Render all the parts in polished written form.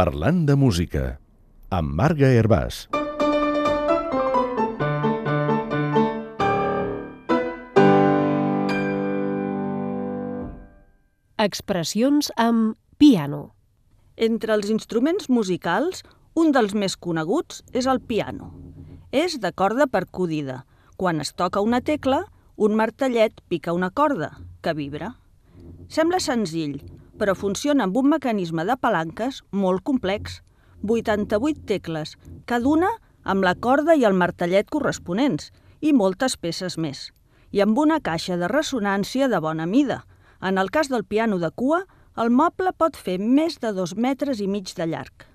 Parlant de música, amb Marga Hervàs. Expressions amb piano. Entre els instruments musicals, un dels més coneguts és el piano. És de corda percudida. Quan es toca una tecla, un martellet pica una corda, que vibra. Sembla senzill, però funciona amb un mecanisme de palanques molt complex. 88 tecles, cada una amb la corda i el martellet corresponents, i moltes peces més. I amb una caixa de ressonància de bona mida. En el cas del piano de cua, el moble pot fer més de 2,5 metres de llarg.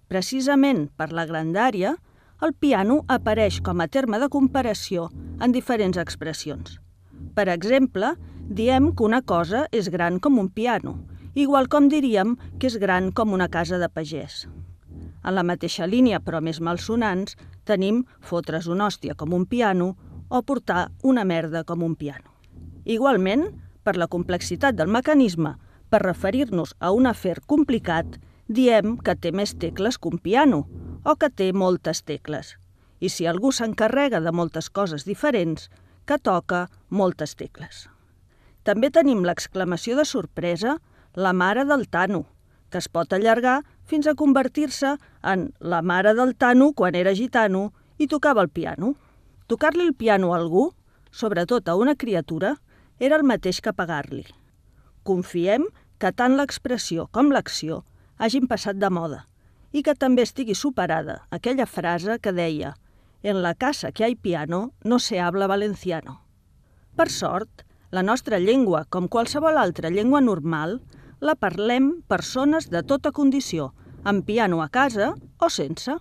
Precisament per la grandària, el piano apareix com a terme de comparació en diferents expressions. Per exemple, diem que una cosa és gran com un piano, igual com diríem que és gran com una casa de pagès. En la mateixa línia, però més malsonants, tenim fotre's una hòstia com un piano o portar una merda com un piano. Igualment, per la complexitat del mecanisme, per referir-nos a un afer complicat, diem que té més tecles que un piano o que té moltes tecles. I si algú s'encarrega de moltes coses diferents, que toca moltes tecles. També tenim l'exclamació de sorpresa, la mare del Tano, que es pot allargar fins a convertir-se en la mare del Tano quan era gitano i tocava el piano. Tocar-li el piano a algú, sobretot a una criatura, era el mateix que pagar-li. Confiem que tant l'expressió com l'acció hagin passat de moda i que també estigui superada aquella frase que deia «En la casa que hay piano no se habla valenciano». Per sort, la nostra llengua, com qualsevol altra llengua normal, la parlem persones de tota condició, amb piano a casa o sense.